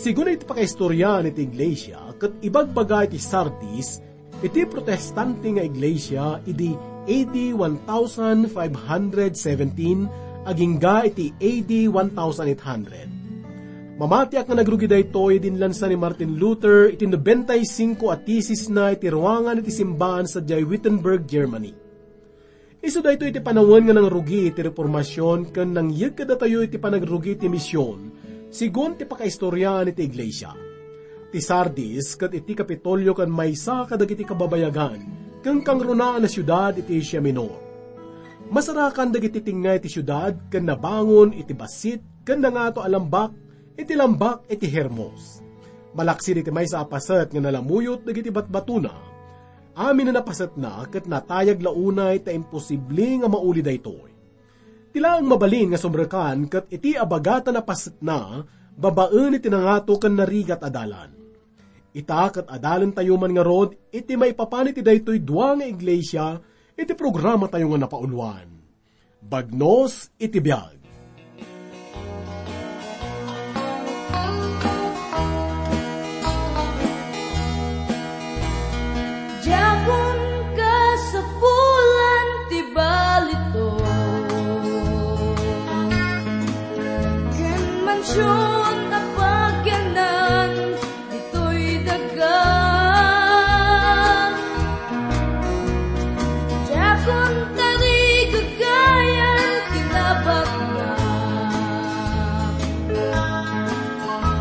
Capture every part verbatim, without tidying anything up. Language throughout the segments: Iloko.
Sigun iti pakaistoriaan iti iglesia, ket ibagbaga iti Sardis, iti protestante nga iglesia idi A D one thousand five hundred seventeen agingga iti A D one thousand eight hundred. Mamatiak nga nagrugi daytoy idi inlansa ni Martin Luther iti nobenta y singko a tesisna iti ruangan iti simbaan sadiay Wittenberg, Germany. Isu daytoy iti panawen nga nangrugi iti Reformasion ken nangyeg kadatayo iti panagrugi iti mision, sigun ti pakaistoriaan iti iglesia. Ti Sardis ket iti Kapitolio ken maysa kadagiti kababayagan ken kangrunaan a siudad iti Asia Minor. Masarakan dagiti tengnga iti siudad ken nabangon iti bassit ken nangato a lambak iti lambak iti Hermos. Malaksid iti maysa a paset nga nalamuyot dagiti batbatona, amin a napasetna ket natayag la unay ta imposible nga mauli daytoy. Ti laeng mabalin nga sumrekan ket iti abagatan a pasetna babaen iti nangato ken narigat a dalan. Ita ket adalentayo man ngarud iti maipapan iti daytoy dua nga iglesia iti programatayo nga napauluan. Bagnos iti biag. Diakon kasapulan ti balito, ken mansion a pagyanan ditoy daga. Diakon tarigagayan ti nabaknang.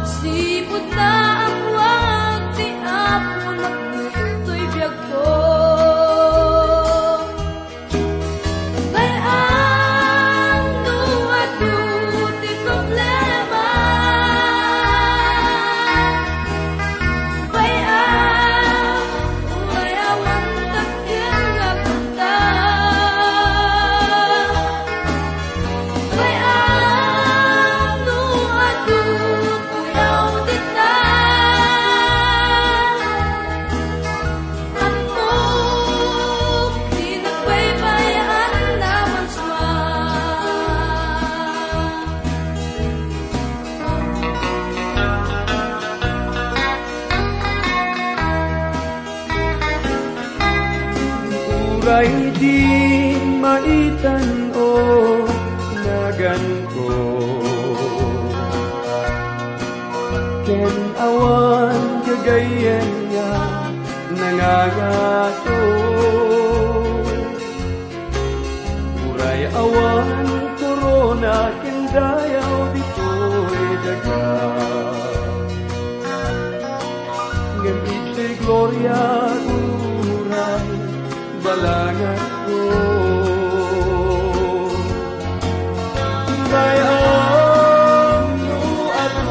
Sipud naammoak ti Apo ditoy biagko. Bay-am no adu ti problema. Bay-am, uray awan dakkel nga kuarta. Bay-am no adu ti uyaw dita. Ammok ti nagbaybay-an a marsua. Uray di maitan-o naganko, ken awan gagayyem nga nangangato. Uray awan korona ken dayaw ditoy daga, ngem iti gloria uray balanganko. Bay-am no adu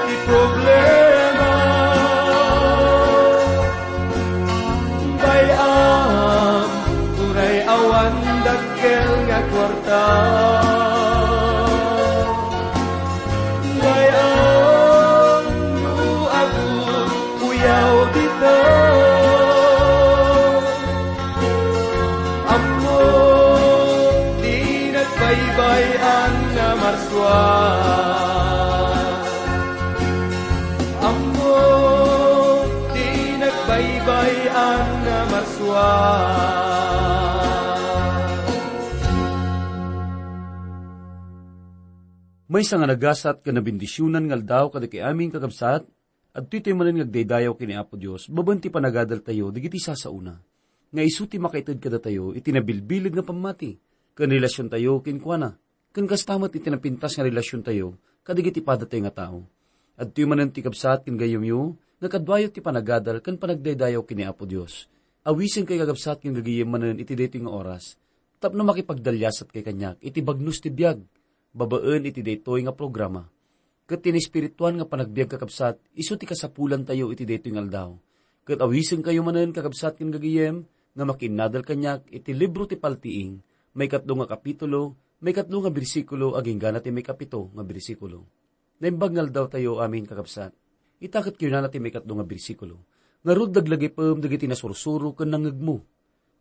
ti problema. Bay-am, uray awan dakkel nga kuarta. Bay-am no adu uyaw dita. Ammok ti nagbaybay-an a marsua. Ammok ti nagbaybay-an a marsua. Maysa nga nagasat ken nabendisionan nga aldaw kadagiti amin, kakabsat. Adtoy tayo manen nga agdaydayaw ken ni Apo Dios babaen ti panagadaltayo dagiti sasaona, nga isu ti makaited kadatayo iti nabilbilin nga pammati ken relasiontayo kenkuana, ken kasta met iti napintas nga relasiontayo kadagiti padatayo nga tao. Adtoy manen ti kabsat ken gayyemyo nga kaduayo ti panagadal ken panagdaydayaw ken ni Apo Dios. Awisenkayo, kakabsat ken gagayyem, manen iti daytoy nga oras tapno makipagdaliasatkayo kaniak iti bagnos ti biag babaen iti daytoy nga programa. Ket ti naespirituan nga panagbiag, kakabsat, isu ti kasapulantayo iti daytoy nga aldaw. Ket awisenkayo manen, kakabsat ken gagayyem, nga makiinnadal kaniak iti libro ti Paltiing, maikatlo nga kapitulo, maikatlo nga bersikulo, agingga na ti maikapito nga bersikulo. Naimbag nga aldawtayo amin, kakabsat. Ita ket kinunana ti maikatlo nga bersikulo, "Ngarud, laglagipem dagiti nasursuro ken nangngegmo.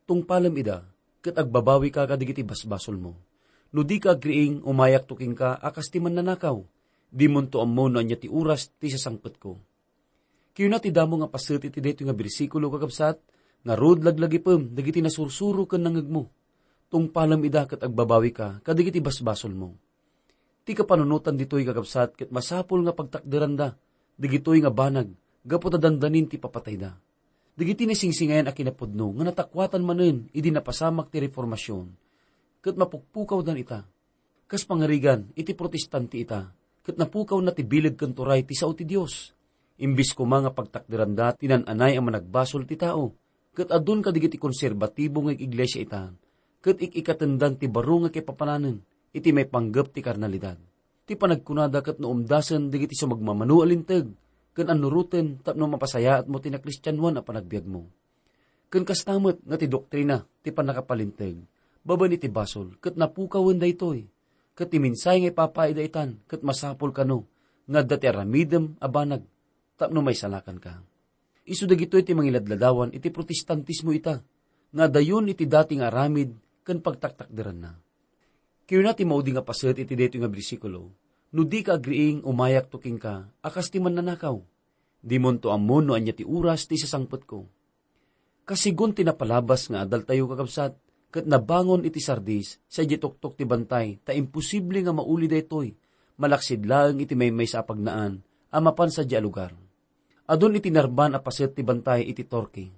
Tungpalem ida, ket agbabawika kadagiti basbasolmo. No dika agriing, umayakto kenka a kas ti mannanakaw. Dimonto ammo no ania ti oras ti sasangpetko. Kayuna ti damo nga paset iti daytoy nga bersikulo, kakabsat, ngarud laglagipem dagiti nasursuro ken nangngegmo. Tungpalem ida ket agbabawika kadagiti basbasolmo. Ti kapanunotan ditoy, kakabsat, ket masapul nga pagtakderanda dagitoy nga banag gapu ta dandanin ti papatayda. Dagiti nasingsingayan a kinapudno nga natakuatan manen idi napasamak ti Reformasion, ket mapukpukawdan ita. Kas pangarigan, iti Protestante ita, ket napukawna ti bileg ken turay ti sao ti Dios. Imbes koma nga pagtakderanda ti nan-anay a managbasol ti tao, ket adun kadagiti konserbatibo nga iglesia ita, ket ik-ikatendan ti baro nga kaipapananen iti maipanggep ti karnalidad. Ti panagkunada ket naumdasen dagiti sumagmamano a linteg ken annuroten tapno mapasayaatmo ti nakristianoan a panagbiagmo. Ken kasta met nga ti doktrina ti pannakapalinteg babaen iti basol ket napukawen daytoy. Ket ti mensahe nga ipapaida itan ket masapul kano nga adda ti aramidem a banag tapno maisalakanka. Isu dagitoy ti mangiladladawan iti Protestantismo ita, nga adayon iti dati nga aramid ken pagtaktakderanna. Kayuna ti maudi nga paset iti daytoy nga bersikulo, "No dika agriing, umayakto kenka a kas ti mannanakaw. Dimonto ammo no ania ti oras ti sasangpetko." Kasigun ti napalabas nga adaltayo, kakabsat, ket nabangon iti Sardis sadiay tuktok ti bantay ta imposible nga mauli daytoy, malaksid laeng iti maymaysa a pagnaan a mapan sadiay a lugar. Adun iti narban a paset ti bantay iti Turkey.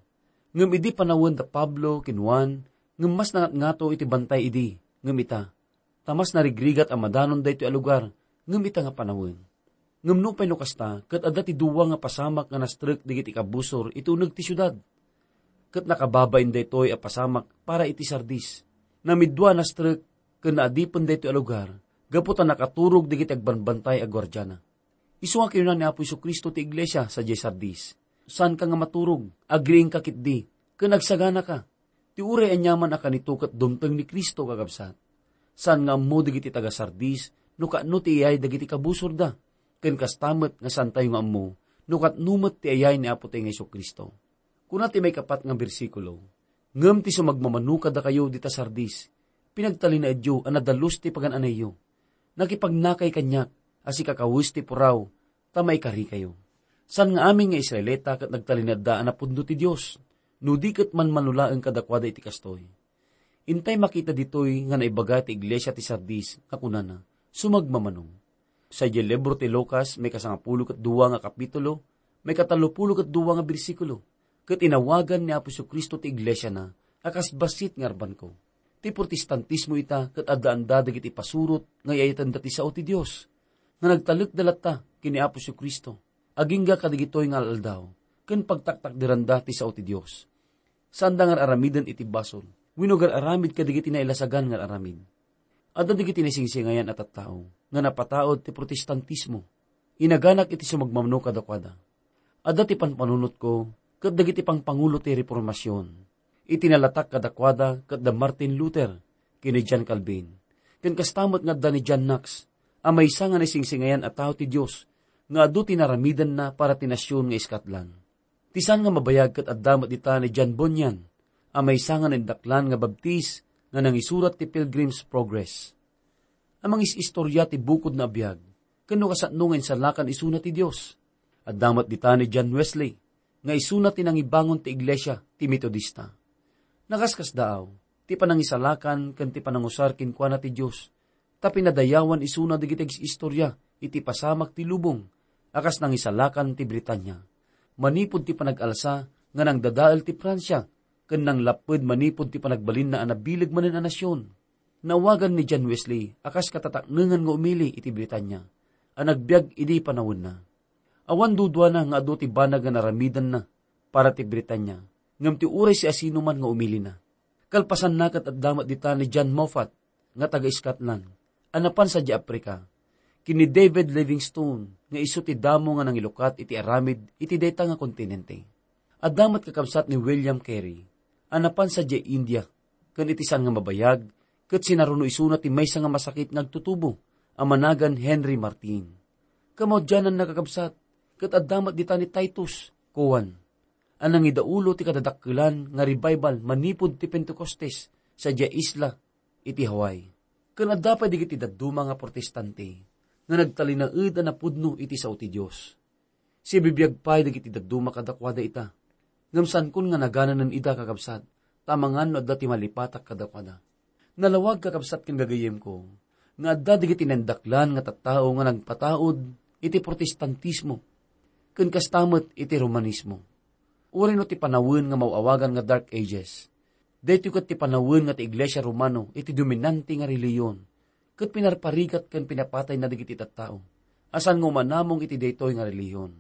Ngem idi panawen da Pablo ken Juan, ngem mas nangatngato iti bantay idi, ngem ita, ta mas narigrigat a madanon daytoy a lugar, ngem ita nga panawen. Ngem nupay no kasta, ket adda ti dua nga pasamak nga nastrek dagiti kabusor iti uneg ti siudad. Ket nakababain daytoy a pasamak para iti Sardis. Namidua a nastrek ken naadipen daytoy a lugar, gapu ta nakaturog dagiti agbambantay a guardiana. Isu nga kinuna ni Apo Jesu-Cristo ti iglesia sadiay Sardis, "Saanka nga maturog, agriingka ketdi, ken agsaganaka." Ti uray aniaman a kanito ket dumteng ni Cristo, kakabsat. Saan nga ammo dagiti taga-Sardis no kaano ti iyay dagiti kabusorda, ken kasta met nga saantayo nga ammo no katno met ti iyay ni Apotayo nga Jesu-Cristo. Kuna ti maikapat nga bersikulo, "Ngem ti sumagmamano kadakayo dita Sardis, pinagtalinaedyo a nadalus ti pagan-anayyo. Nakipagnakay kaniak a sikakawes ti puraw ta maikarikayo." Saan nga amin nga Israelita ket nagtalinaedda a napudno ti Dios, no di ket manmano laeng kadakuada iti kastoy. Intay makita ditoy nga naibaga ti iglesia ti Sardis nga kunana, "Sumagmamano." Sadiay libro ti Lucas, maikasangapulo ket dua nga kapitulo, maikatallopulo ket dua nga bersikulo, ket inawagan ni Apo Jesu-Cristo ti iglesiana a kas bassit nga arbanko. Ti Protestantismo ita ket addaanda dagiti pasurot nga iyayatenda ti sao ti Dios, nga nagtalekda latta ken ni Apo Jesu-Cristo, agingga kadagitoy nga al-aldaw, ken pagtaktakderanda ti sao ti Dios. Saanda nga ar-aramiden iti basol, wenno gar-aramid kadagiti nailasagan nga ar-aramid. Adda dagiti naisingsingayan a tattao nga napataud ti Protestantismo. Inaganak iti sumagmamano kadakuada. Adda ti panpanunotko ket dagiti pangpangulo ti Reformasion. Iti nalatak kadakuada ket da Martin Luther ken ni John Calvin. Ken kasta met nga adda ni John Knox, a maysa nga naisingsingayan a tao ti Dios nga adu ti naramidenna para ti nasion nga Scotland. Ti saan nga mabayag ket adda met dita ni John Bunyan, a maysa nga naindaklan nga Baptist nga nangisurat ti Pilgrim's Progress. A mangis-istorya ti bukodna a biag, ken no kasano nga insalakan isuna ti Dios. Adda met dita ni John Wesley, nga isuna ti nangibangon ti iglesia ti Metodista. Nakaskasdaaw, ti panangisalakan ken ti panangusar kenkuana ti Dios, ta pinadayawan isuna dagiti ag-istorya iti pasamak ti lubong a kas nangisalakan ti Britania. Manipud ti panag-alsa nga nangdadael ti Francia, ken nanglapped manipud ti panagbalinna a nabileg manen a nasion. Naawagan ni John Wesley a kas katataknengan nga umili iti Britania, a nagbiag idi panawenna. Awan duduana nga adu ti banag nga naramidanna para ti Britania, ngem ti uray siasinoman nga umilina. Kalpasanna ket adda met dita ni John Moffat nga taga-Scotland, a napan sadiay Africa, ken ni David Livingstone nga isu ti damo nga nangilukat iti aramid iti dayta nga kontinente. Adda met kakabsat ni William Carey, a napan sadiay India, ken iti saan nga mabayag, ket sinaruno isuna ti maysa nga masakit nga agtutubo a managan Henry Martyn. Kamaudiananna, kakabsat, ket adda met dita ni Titus Cowan, a nangidaulo ti kadadakkelan nga revival manipud ti Pentecostes sadiay isla iti Hawaii. Ken adda pay dagiti dadduma nga Protestante nga nagtalinaed a napudno iti sao ti Dios. Sibibiag pay dagiti dadduma kadakuada ita. Ngem saankon nga nagananen ida, kakabsat, ta amangan no adda ti malipatak kadakuada. Nalawag, kakabsat ken gagayyemko, nga adda dagiti naindaklan nga tattao nga nagpataud iti Protestantismo, ken kasta met iti Romanismo. Uray no ti panawen nga maaw-awagan nga Dark Ages, daytoy ket ti panawen nga ti Iglesia Romano iti dominante nga relihiyon, ket pinarparigat ken pinapatayna dagiti tattao a saan nga umanamong iti daytoy nga relihiyon.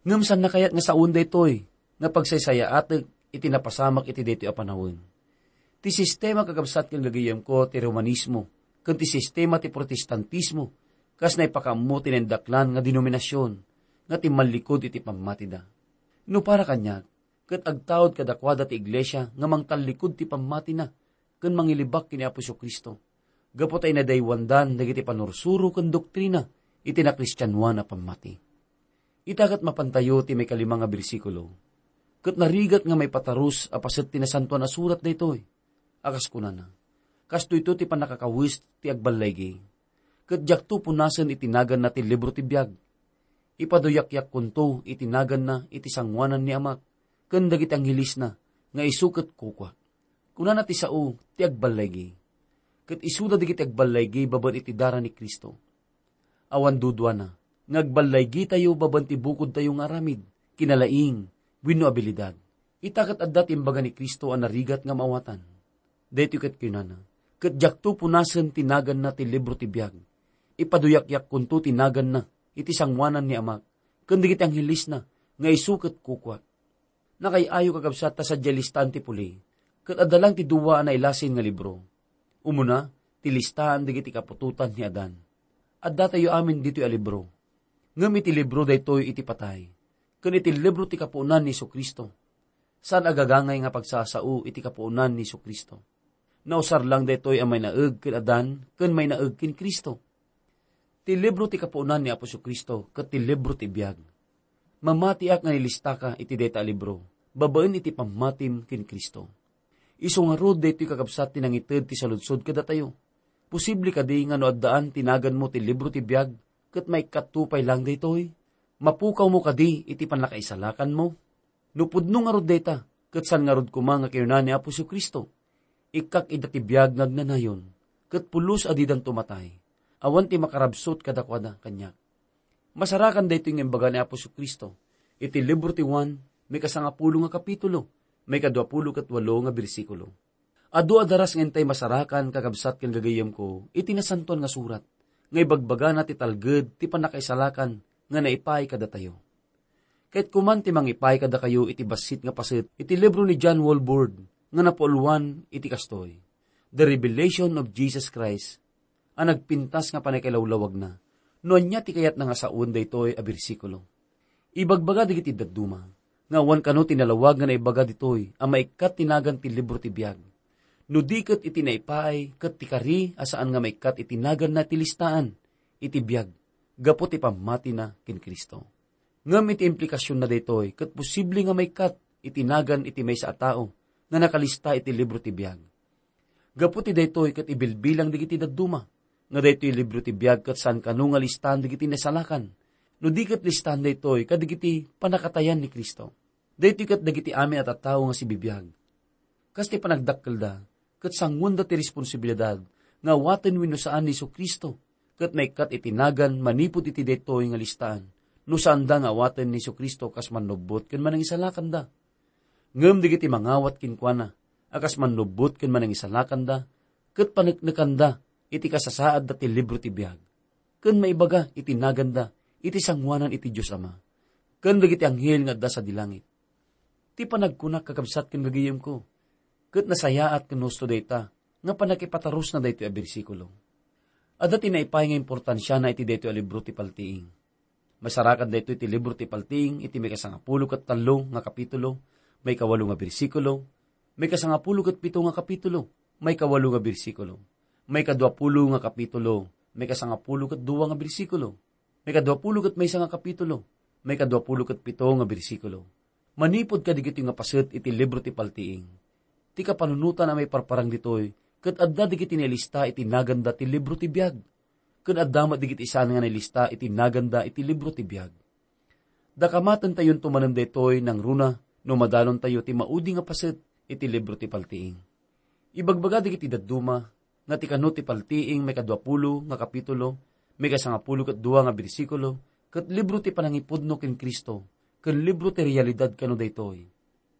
Ngem saanna kayat nga saoen daytoy nga pagsaysayaatek iti napasamak iti daytoy a panawen? Ti sistema, kakabsat ken gagayyemko, ti Romanismo ken ti sistema ti Protestantismo kas naipakaammo ti naindaklan nga denominasion nga timmallikud iti pammatida. No para kaniak, ket agtaud kadakuada ti iglesia nga mangtallikud ti pammatina ken mangilibak ken ni Apo Jesu-Cristo, gapu ta inadaywandan dagiti panursuro ken doktrina iti nakristianoan a pammati. Ita ket mapantayo ti maikalima nga bersikulo, ket narigat nga maipatarus a paset ti Nasantoan a Surat daytoy, a kas kunana, "Kastoyto ti pannakakawes ti agballaygi, ket diakto punasen iti naganna ti libro ti biag. Ipaduyakyakkonto iti naganna iti sangoanan ni Amak ken dagiti anghelesna nga isu ket kukuak." Kunana ti sao ti agballaygi, ket isuda dagiti agballaygi babaen iti dara ni Cristo. Awan duduana nga agballaygitayo babaen ti bukodtayo nga aramid, kinalaing, wenno abilidad. Ita ket adda ti imbaga ni Cristo a narigat nga maawatan. Daytoy ket kinunana, "Ket diakto punasen ti naganna ti libro ti biag. Ipaduyakyakkonto ti naganna iti sangoanan ni Amak ken dagiti anghelesna nga isu ket kukuak." Nakaay-ayo, kakabsat, ta sadiay listaan ti puli, ket adda lang ti dua a nailasin nga libro. Umuna, ti listaan dagiti kaputotan ni Adan. Addatayo amin ditoy a libro. Ngem iti libro daytoy iti patay, ken iti libro ti kapuonan ni Jesu-Cristo. Saan a gagangay nga pagsasao iti kapuonan ni Jesu-Cristo. Nausar lang daytoy a mainaeg ken Adan ken mainaeg ken Cristo. Ti libro ti kapuonan ni Apo Jesu-Cristo ket ti libro ti biag. Mamatiak nga nilistaka iti dayta a libro babaen iti pammatim ken Cristo. Isu ngarud daytoy, kakabsat, ti nangited ti saludsod kadatayo. Posible kadi nga no addaan ti naganmo ti libro ti biag ket maikkatto pay lang daytoy? Mapukawmo kadi iti pannakaisalakanmo? No pudno ngarud dayta, ket saan ngarud koma nga kinuna ni Apo Jesu-Cristo, "Ikkak ida ti biag nga agnanayon, ket pulos a didanto matay. Awan ti makarabsut kadakuada kaniak." Masarakan daytoy nga imbaga ni Apo Jesu-Cristo iti libro ti Juan, maikasangapulo nga kapitulo, maikaduapulo ket walo nga bersikulo. Adu a daras nga intay masarakan, kakabsat ken gagayyemko, iti Nasantoan nga Surat, nga ibagbagana ti talged ti pannakaisalakan nga naipaay kadatayo. Ket kuman ti mangipaay kadakayo iti bassit nga paset iti libro ni John Walvoord nga napauluan iti kastoy, "The Revelation of Jesus Christ," a nagpintas nga pannakailawlawagna no ania ti kayatna nga saoen daytoy a bersikulo. Ibagbaga dagiti dadduma nga awan kano ti nalawag nga naibaga ditoy a maikkat ti nagan ti libro ti biag, no di ket iti naipaay ket ti kari a saan nga maikkat iti naganna ti listaan iti biag gapu ti pammatina ken Cristo. Ngem iti implikasionna daytoy ket posible nga maikkat iti nagan iti maysa a tao nga nakalista iti libro ti biag. Gapu ti daytoy ket ibilbilang dagiti dadduma nga daytoy libro ti biag ket saan kano nga listaan dagiti nasalakan, no di ket listaan daytoy kadagiti pannakatayan ni Cristo. Daytoy ket dagiti amin a tattao nga sibibiag. Kas ti panagdakkelda, ket sanguenda ti responsibilidad nga awaten wenno saan ni Jesu-Cristo, ket maikkat iti nagan manipud iti daytoy nga listaan, no saanda nga awaten ni Jesu-Cristo kas mannubbot ken manangisalakanda. Ngem dagiti mangawat kenkuana a kas mannubbot ken manangisalakanda, ket paneknekanda iti kasasaadda ti libro ti biag, ken maibaga iti naganda iti sangoanan iti Dios Ama, ken dagiti anghel nga adda sadi langit. Ti panagkunak, kakabsat ken gagayyemko, ket nasayaat ken husto dayta nga pannakipatarusna daytoy a bersikulo. Adda ti naipaay nga importansiana iti daytoy a libro ti Paltiing. Masarakan daytoy ti libro ti Paltiing iti maikasangapulo ket tallo nga kapitulo, maikawalo nga bersikulo, maikasangapulo ket pito nga kapitulo, maikawalo nga bersikulo, maikaduapulo nga kapitulo, maikasangapulo ket dua nga bersikulo, maikaduapulo ket maysa nga kapitulo, maikaduapulo ket pito nga bersikulo. Manipud kadagitoy nga paset iti libro ti Paltiing, ti kapanunotan a maiparparang ditoy ket adda dagiti nailista iti naganda ti libro ti biag. ken adda met dagiti saan nga nailista iti naganda iti libro ti biag. Dakamatentayonto manen daytoy nangruna no madalontayo ti maudi nga paset iti libro ti paltiing. Ibagbaga dagiti dadduma nga ti kano ti paltiing maikadua pulo nga kapitulo, maikasangapulo ket dua nga bersikulo, ket libro ti panangipudno ken Cristo, ken libro ti realidad kano daytoy.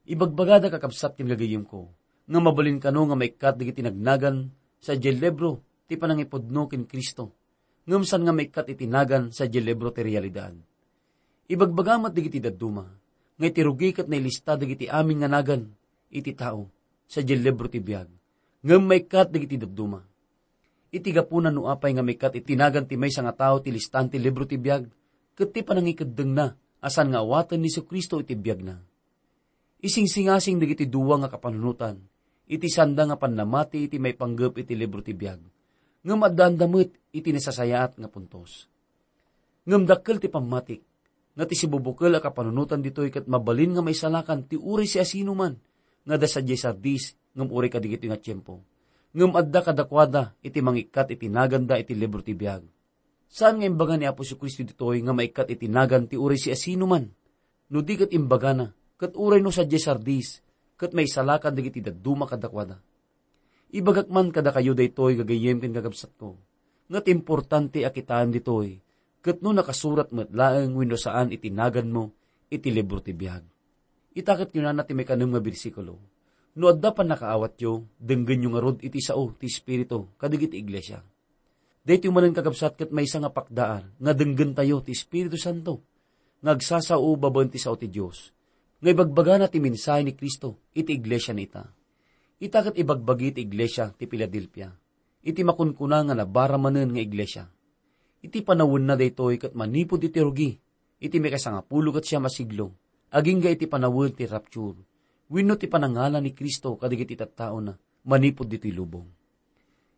Ibagbagada, kakabsat ken gagayyemko, nga mabalin kano nga maikkat dagiti nagnagan sadiay libro ti panangipudno ken Cristo, ngem saan nga maikkat iti nagan sadiay libro ti realidad. Ibagbaga met dagiti dadduma nga iti rugi ket nailista dagiti amin nga nagan iti tao sadiay libro ti biag, ngem maikkat dagiti dadduma. Iti gapuna no apay nga maikkat iti nagan ti maysa nga tao ti listaan ti libro ti biag ket ti panangikeddengna a saan nga awaten ni Jesu-Cristo iti biagna. Isingsingasing dagiti dua nga kapanunotan iti sanda nga pannamati iti maipanggep iti libro ti biag, ngem addaanda met iti nasasayaat nga puntos. Ngem dakkel ti pammatik nga ti sibubukel a kapanunotan ditoy ket mabalin nga maisalakan ti uray siasinoman nga adda sadiay Sardis ngem uray kadagitoy nga tiempo, ngem adda kadakuada iti mangikkat iti naganda iti libro ti biag. Saan nga imbaga ni Apo Jesu-Cristo ditoy nga maikkat iti nagan ti uray siasinoman no di ket imbagana ket uray no sadiay Sardis ket maisalakan dagiti dadduma kadakuada. Ibagak man kadakayo daytoy, gagayyem ken kakabsatko, nga ti importante a kitaem ditoy ket no nakasurat met laeng wenno saan iti naganmo iti libro ti biag. Ita ket kunana ti maikanem nga bersikulo, "No adda pannakaawatyo, denggenyo ngarud iti sao ti Espiritu kadagiti iglesia." Daytoy manen, kakabsat, ket maysa nga pakdaan nga denggentayo ti Espiritu Santo nga agsasao babaen ti sao ti Dios, nga ibagbagana ti mensahe ni Cristo iti iglesia na ita. Ita ket ibagbagi ti iglesia ti Filadelfia iti makunkuna nga nabara manen nga iglesia. Iti panawenna daytoy ket manipud iti rugi iti maikasangapulo ket siam a siglo, agingga iti panawen ti rapture wenno ti panangala ni Cristo kadagiti tattaona manipud ditoy lubong.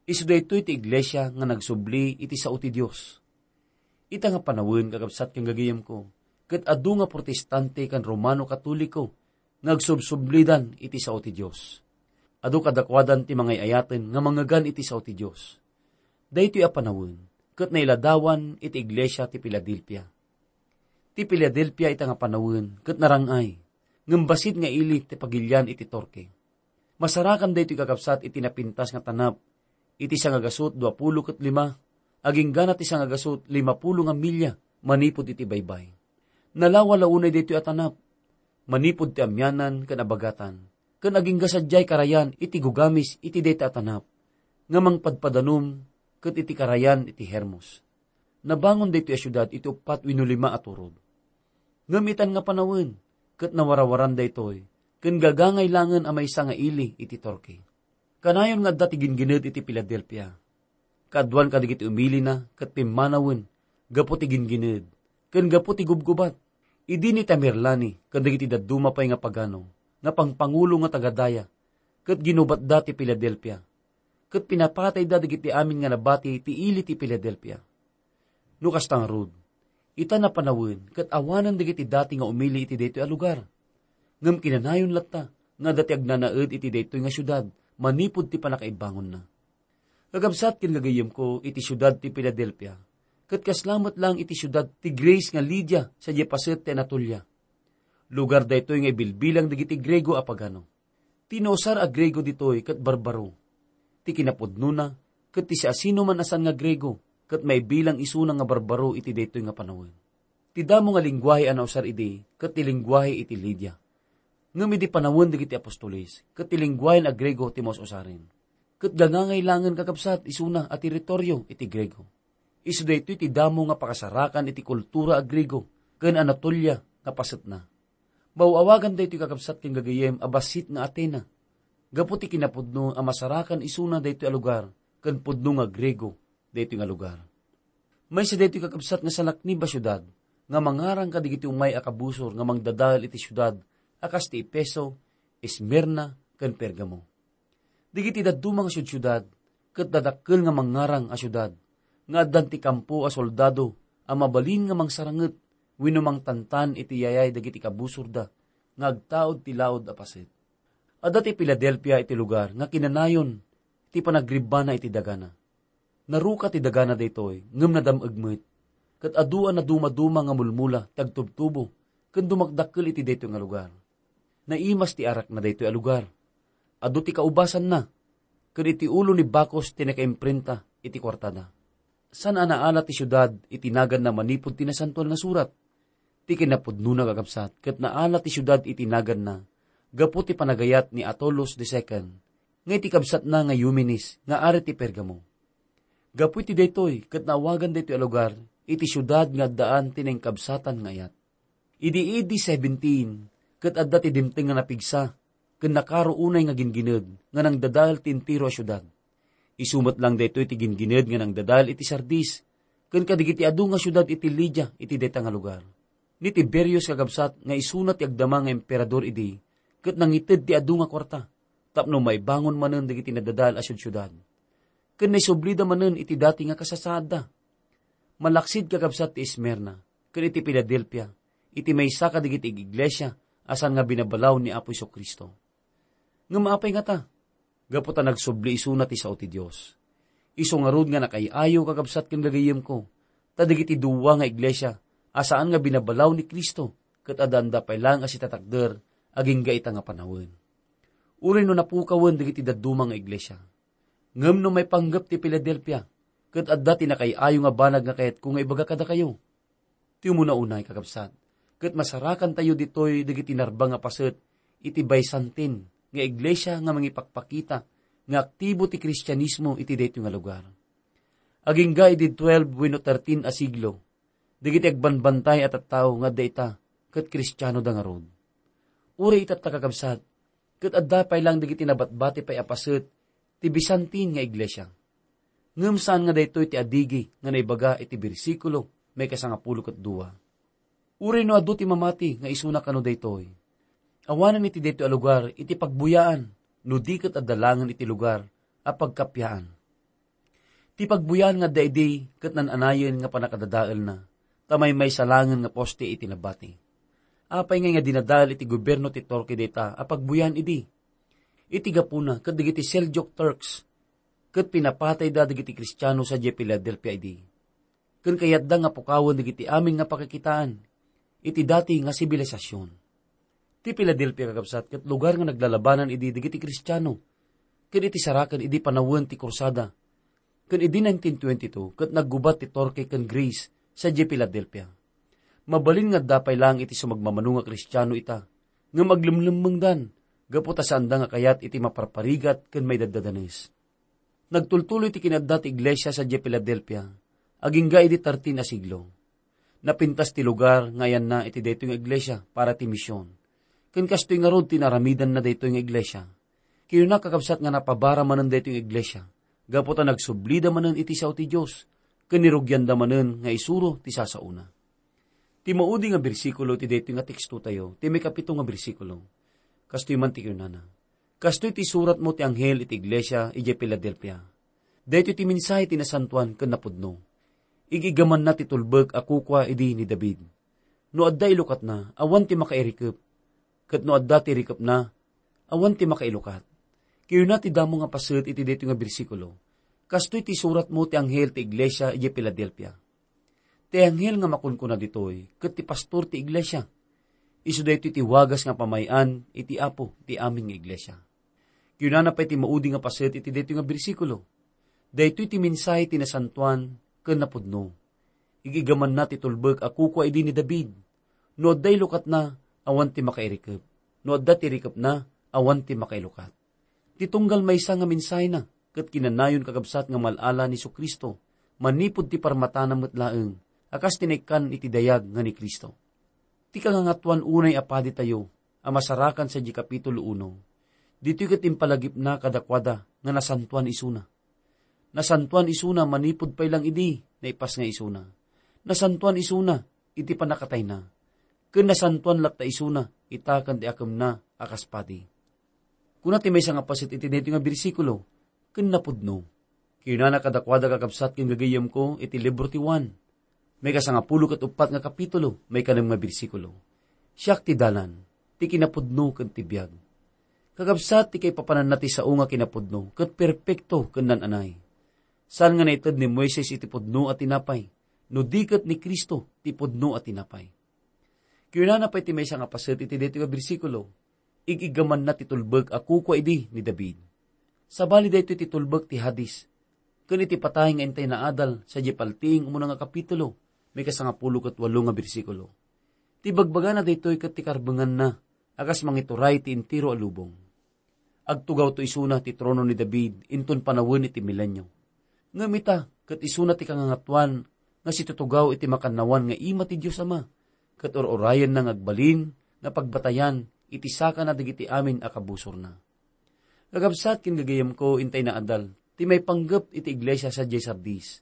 Isu daytoy ti iglesia nga nagsubli iti sao ti Dios. Ita nga panawen, kakabsat ken gagayyemko, ket adu nga Protestante ken Romano Katoliko nga agsubsublidan iti sao ti Dios. Adu kadakuadan ti mangay-ayaten nga mangngegan iti sao ti Dios. Daytoy a panawen ket nailadawan iti iglesia ti Filadelfia. Ti Filadelfia ita nga panawen ket narang-ay, ngem bassit nga ili ti pagilian iti Torque. Masarakan daytoy, kakabsat, iti napintas nga tanap iti sangagasut duapulo ket lima, aginggana ti sangagasut limapulo nga milya manipud iti baybay. Nalawa la unay daytoy a tanap manipud ti amianan ken abagatan, ken agingga sadiay karayan iti gugamis iti dayta a tanap nga mangpadpadanum ket iti karayan iti Hermos. Nabangon daytoy a siudad iti uppat wenno lima a turod. Ngem itan nga panawen, ket nawarawaran daytoy, ken gagangay laengen a maysa nga ili iti Torque. Kanayon nga adda ti gingined iti Filadelfia. Kaaduan kadagiti umilina ket pimmanawen gapu ti gingined, ken gapu ti gubgubat. Idi ni Tamerlane ken dagiti dadduma pay nga pagano nga pangpangulo nga taga-daya, ket ginubatda ti Filadelfia, ket pinapatayda dagiti amin nga nabati ti ili ti Filadelfia. No kasta ngarud, ita napanawen ket awanen dagiti dati nga umili iti daytoy a lugar. Ngem kinanayon latta nga adda ti agnanaed iti daytoy nga siudad manipud ti pannakaibangonna. Kakabsat ken gagayyemko, iti siudad ti Filadelfia, ket kasla met laeng iti siudad ti Greece nga Lydia sadiay paset ti Anatolia. Lugar daytoy nga ibilbilang dagiti Griego a pagano. Ti nausar a Griego ditoy ket barbaro. Ti kinapudnona, ket ti siasinoman a saan nga Griego ket maibilang isuna nga barbaro iti daytoy nga panawen. Ti damo nga lenguahe a nausar idi ket ti lenguahe iti Lydia. Ngem idi panawen dagiti apostoles, ket ti lenguahen a Griego ti maus-usaren. Ket gagangay laengen, kakabsat, isuna a teritorio iti Griego. Isu daytoy ti damo nga pakasarakan iti kultura a Griego ken Anatolia nga pasetna. Maaw-awagan daytoy, kakabsat ken gagayyem, a bassit nga Atena, gapu ti kinapudno a masarakan isuna daytoy a lugar ken pudno nga Griego daytoy nga lugar. Maysa daytoy, kakabsat, nga salaknib a siudad nga mangarang kadagiti umay a kabusor nga mangdadael iti siudad a kas ti Efeso, Esmirna, ken Pergamo. Dagiti dadduma nga siudsiudad ket dadakkel nga mangngarang a siudad nga addan ti kampo a soldado a mabalin nga mangsaranget wenno mangtantan iti yayay dagiti kabusorda nga agtaud ti laud a paset. Adda ti Filadelfia iti lugar nga kinanayon ti panagribbana iti dagana. Naruka ti dagana daytoy, ngem nadam-eg met, ket adu a nadumaduma nga mulmula ti agtubtubo ken dumakdakkel iti daytoy nga lugar. Naimas ti arakna daytoy a lugar. Adu ti kaubasanna, ken iti ulo ni Bacchus ti nakaimprenta iti kuartada. Saan a naala ti siudad iti naganna manipud ti Nasantoan nga Surat. Ti kinapudnona, kakabsat, ket naala ti siudad iti naganna gapu ti panagayat ni Attalus the second, nga iti kabsatna nga Eumenes nga ari ti Pergamo. Gapu iti daytoy, ket naawagan daytoy a lugar iti siudad nga addaan ti nainkabsatan nga ayat. Idi A D seventeen, ket adda ti dimteng nga napigsa, ken nakaro unay nga gingined nga nangdadael ti entero a siudad. Isu met lang daytoy ti gingined nga nangdadael iti Sardis, ken kadagiti adu nga siudad iti Lidia iti dayta nga lugar. Ni Tiberius, kakabsat, nga isuna ti agdama nga emperador idi, ket nangited ti adu nga kuarta, tapno maibangon manen dagiti nadadael a siudsiudad. Ken naisublida manen iti dati nga kasasaadda. Malaksid, kakabsat, ti Esmirna ken iti Filadelfia, iti maysa kadagiti iglesia a saan nga binabalaw ni Apo Jesu-Cristo. Ngem apay ngata? Gapu ta nagsubli isuna ti sao ti Dios. Isu ngarud nga nakaay-ayo, kakabsat ken gagayyemko, ta dagiti dua nga iglesia a saan nga binabalaw ni Cristo ket addaanda pay laeng a sitatakder agingga ita nga panawen. Uray no napukawen dagiti dadduma nga iglesia. Ngem no maipanggep ti Filadelfia, ket adda ti nakaay-ayo nga banag nga kayatko nga ibaga kadakayo. Ti umuna unay, kakabsat, ket masarakantayo ditoy dagiti narbang a paset iti Byzantine nga iglesia nga mangipakpakita nga aktibo ti Kristianismo iti daytoy nga lugar. Agingga idi twelve wenno thirteen a siglo, dagiti agbanbantay a tattao nga adda ita ket Kristianoda ngarud. Uray itatta, kakabsat, ket adda pay laeng dagiti nabatbati pay a paset ti Byzantine nga iglesia. Ngem saan nga daytoy ti adigi nga naibaga iti bersikulo maikasangapulo ket dua. Uray no adu ti mamati nga isuna kano daytoy, awanen iti daytoy a lugar iti pagbuyaan no di ket adda laengen iti lugar a pagkappaan. Ti pagbuyaan nga adda idi ket nan-anayen nga pannakadadaelna, ta maymaysa laengen nga poste iti nabati. Apay ngay nga dinadael iti gobierno ti Turkey dayta a pagbuyaan idi? Iti gapuna ket dagiti Seljuk Turks ket pinapatayda dagiti Kristiano sadiay Filadelfia idi. Ken kayatda nga pukawen dagiti amin nga pakakitaan iti dati nga sibilisasyon. Ti Filadelfia, kakabsat, ket lugar nga naglalabanan idi dagiti Kristiano, ken iti saraken idi panawen ti Krusada, ken idi nineteen twenty-two, ket naggubat ti Turkey ken Greece sadiay Filadelfia. Mabalin nga adda pay laeng iti sumagmamano nga Kristiano ita, ngem aglemlemmengdan gapu ta saanda nga kayat iti maparparigat ken maidaddadanes. Nagtultuloy ti kinadda ti iglesia sadiay Filadelfia, agingga idi thirteen a siglo. Napintas ti lugar nga ayanna iti daytoy nga iglesia para ti mision. Ken kastoy ngarud ti naaramidanna daytoy nga iglesia. Kinuna, kakabsat, nga napabara manen daytoy nga iglesia, gapu ta nagsublida manen iti sao ti Dios, ken nirugianda manen nga isuro ti sasaona. Ti maudi nga bersikulo ti daytoy nga tekstotayo, ti maikapito nga bersikulo. Kastoy man ti kinunana, "Kastoy ti suratmo ti anghel iti iglesia idiay Filadelfia. Daytoy ti mensahe ti nasantoan ken napudno. Ig-igamanna ti tulbek a kukua idi ni David. No adda ilukatna, awan ti makairikep. Ket no adda ti irikepna, awan ti makailukat." Kinuna ti damo nga paset iti daytoy nga bersikulo, "Kastoy ti suratmo ti anghel ti iglesia idiay Filadelfia." Ti anghel nga makunkuna ditoy, ket ti pastor ti iglesia. Isu daytoy ti wagas nga pamay-an iti Apo ti amin nga iglesia. Kinunana pay ti maudi nga paset iti daytoy nga bersikulo, "Daytoy ti mensahe ti nasantoan ken napudno. Ig-igamanna ti tulbek a kukua idi ni David. No adda ilukatna, awan ti makairikep. No adda ti irikepna, awan ti makailukat." Ti tunggal maysa nga mensahena ket kinanayon, kakabsat, nga mal-ala ni Jesu-Cristo manipud ti parmatana met laeng a kas ti naikkan iti dayag nga ni Cristo. Ti kangangatoan unay a paditayo a masarakan sadiay Kapitulo uno, ditoy ket impalagipna kadakuada nga nasantoan isuna. Nasantoan isuna manipud pay lang idi naipas nga isuna. Nasantoan isuna iti pannakatayna. Ken nasantoan latta isuna ita ken ti akemna a kas padi. Kuna ti maysa nga paset iti daytoy nga bersikulo, "Ken napudno." Kinunana kadakuada, kakabsat ken gagayyemko, iti libro ti Juan, maikasangapulo ket uppat nga kapitulo, maikanem nga bersikulo, "Siak ti dalan, ti kinapudno ken ti biag." Kakabsat, ti kaipapananna ti sao nga kinapudno ket perpekto ken nan-anay. Saan nga naited ni Moises iti pudno a tinapay, no di ket ni Cristo ti pudno a tinapay. Kunana pay ti maysa nga paset iti daytoy nga bersikulo, "Ig-iggamanna ti tulbek a kukua idi ni David." Sabali daytoy ti tulbek ti Hades, ken iti patay nga intay naadal sadiay paltiing umuna nga kapitulo, may kasangapulo ket walo nga bersikulo. Ti bagbagana daytoy ket ti karbenganna a kas mangituray ti entero a lubong. Agtugawto isuna ti trono ni David inton panawen iti milenio. Ngem ita, ket isuna ti kangangatuan nga situtugaw iti makannawan nga ima ti Dios Ama, ket ur-urayenna nga agbalin nga pagbatayan iti sakana dagiti amin a kabusorna. Kakabsat ken gagayemko, intay naadal ti maipanggep iti iglesia sadiay Sardis.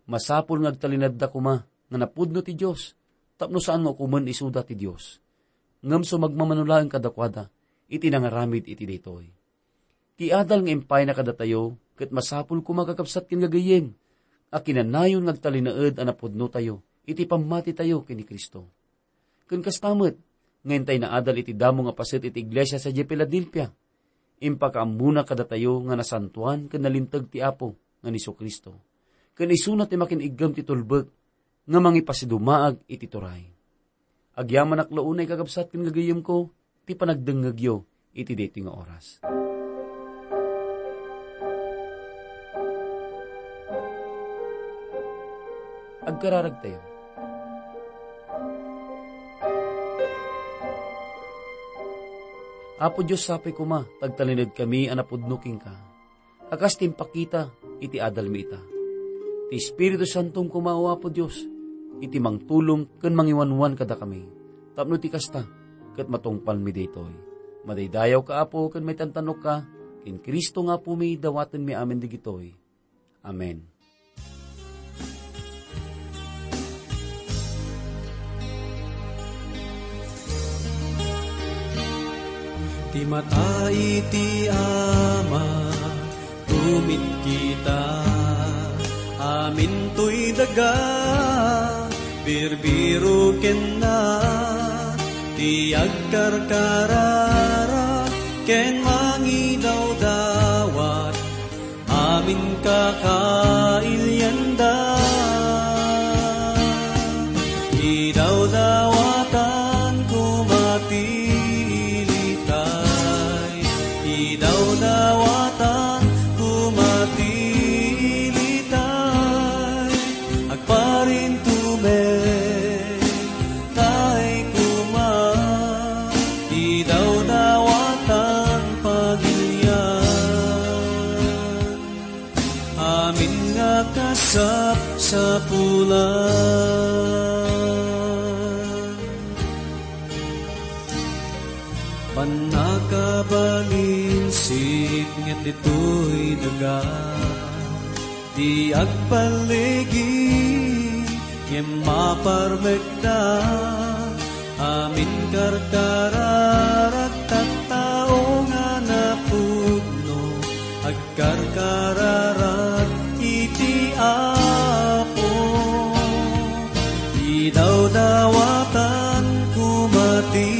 Masapul nga agtalinaedda koma nga napudno ti Dios tapno saan nga ukomen isuda ti Dios. Ngem sumagmamano laeng kadakuada iti nangaramid iti daytoy. Ti adal nga impayna kadatayo ket masapul koma, kakabsat ken gagayem, a kinanayon nga agtalinaed a napudnotayo iti pammatitayo ken ni Cristo. Ken kasta met, nga intay naadal iti damo nga paset iti iglesia sadiay Filadelfia, impakaammona kadatayo nga nasantoan ken nalinteg ti Apo nga ni Jesu-Cristo, ken isuna ti makin-iggem ti tulbek nga mangipasidumaag iti turay. Agyamanak la unay, kakabsat ken gagayemko, ti panagdengngegyo iti daytoy nga oras. Agkararagtayo. Apo Dios, sapay koma ta agtalinedkami a napudno kenka, a kas ti impakita iti adalmi ita. Ti Espiritu Santom koma, O Apo Dios, iti mangtulong ken mangiwanwan kadakami, tapno ti kasta, ket matungpalmi daytoy. Madaydayawka, Apo, ken maitantanokka, ken Cristo nga Apomi, dawatenmi amin dagitoy. Amen. Ti mata iti Ama, tumitkita, amintoy daga, birbiro kenna, ti agkarkararag ken mangidawdawat, amin kakailianda. Idawdawatan koma ti ilitay, idawdawatan koma ti ilitay, agparintumek tay koma, idawdawatan pagilian. Amin nga kasapsapulan. Pannakabalinsit nga ditoy daga, di agpalligi ngem maparmekda. Amin karkararag tattao nga napudno, agkarkararag iti Apo. Idawdawatan koma ti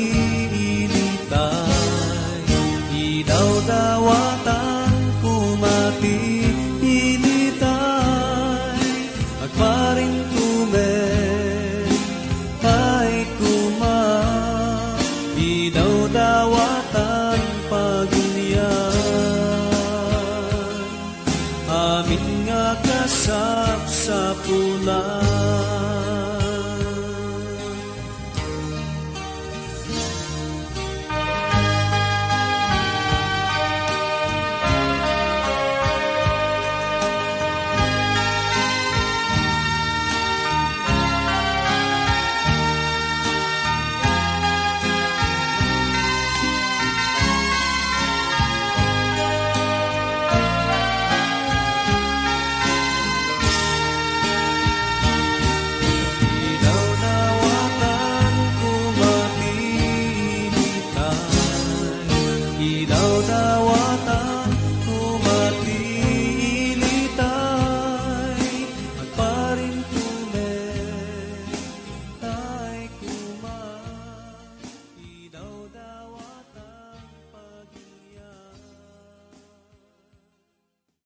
ilitay, idawdawatan koma ti ilitay, agparintumek tay koma, idawdawatan pagilian. Amin nga kasapsapulan.